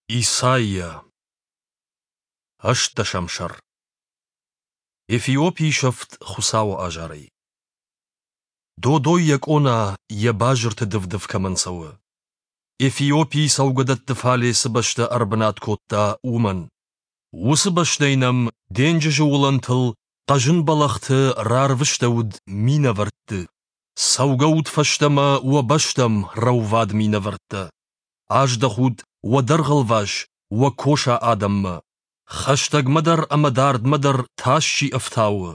Исайя. Ӕстдӕсӕм сӕр. Эфиопийы сӕфт Хуыцауы азарӕй. Додой йӕ къона йӕ базырты дыв-дыв кӕмӕн цӕуы. Эфиопийы цӕугӕдӕтты фале цы бӕстӕ ӕрбынат кодта, уымӕн. Уыцы бӕстӕй нӕм денджызы уылӕнтыл хъӕзын бӕлӕгъты рарвыстӕуыд минӕвӕртты. Цӕугӕут фӕстӕмӕ уӕ бӕстӕм, рӕувад минӕвӕрттӕ. Аздӕхут уӕ дӕргъылвас, уӕ коса адӕммӕ. Хӕстӕгмӕ дӕр ӕмӕ дардмӕ дӕр тас чи ӕфтауы,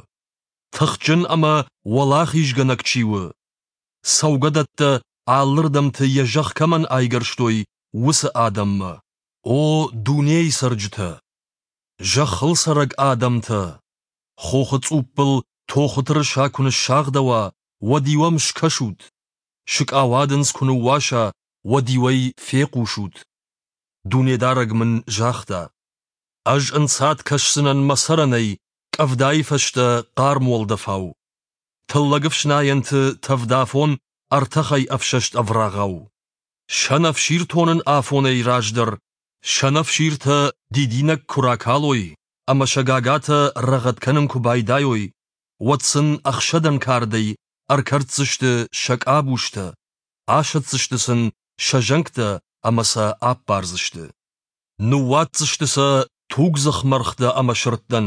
тыхджын ӕмӕ уӕлахизгӕнӕг чи у, цӕугӕдӕттӕ алырдӕмты йӕ зӕхх кӕмӕн айгӕрстой, уыцы адӕммӕ. О дунейы цӕрджытӕ! Зӕххыл цӕрӕг адӕмтӕ! Хохы цъуппыл тохы тырыса куы ныссагъдӕуа, уӕд-иу ӕм скӕсут. Сыкъауадындз куы ныууаса, уӕд-иу ӕй фехъусут. Дунедарӕг мын загъта: Ӕз ӕнцад кӕсдзынӕн мӕ цӕрӕнӕй къӕвдайы фӕстӕ хъарм уӕлдӕфау. Тыллӕг ӕфснайӕнты тӕвдафон ӕртӕхӕй ӕфсӕст ӕврагъау. Сӕнӕфсир тонын афонӕй раздӕр сӕнӕфсиртӕ дидинӕг куы ракалой ӕмӕ сӕ гагатӕ рӕгъӕд кӕнын куы байдайой, уӕд сын ӕхсӕдӕн кардӕй ӕркӕрддзысты сӕ къабузтӕ, асӕтдзысты сын сӕ зӕнгтӕ ӕмӕ сӕ аппардзысты. Ныууадздзысты сӕ тугдзых мӕргътӕ ӕмӕ сырдтӕн,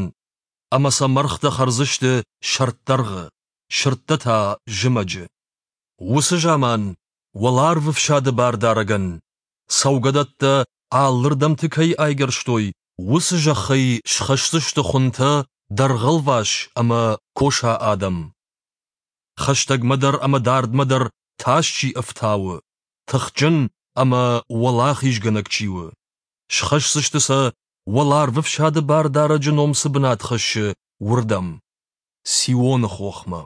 ӕмӕ сӕ мӕргътӕ хӕрдзысты сӕрддӕргъы, сырдтӕ та зымӕджы. Уыцы заман уӕларвы фсады бардарӕгӕн, цӕугӕдӕттӕ алырдӕмты кӕй айгӕрстой, уыцы зӕххӕй схӕсдзысты хуынтӕ дӕргъӕлвӕс ӕмӕ коса адӕм. Хӕстӕгмӕ дӕр ӕмӕ дардмӕ дӕр тас чи ӕфтауы, тыхджын ӕмӕ уӕлахизгӕнӕг чи у. Схӕсдзысты сӕ, уӕларвы фсады бардарӕджы ном цы бынат хӕссы, уырдӕм, Сионы хохмӕ.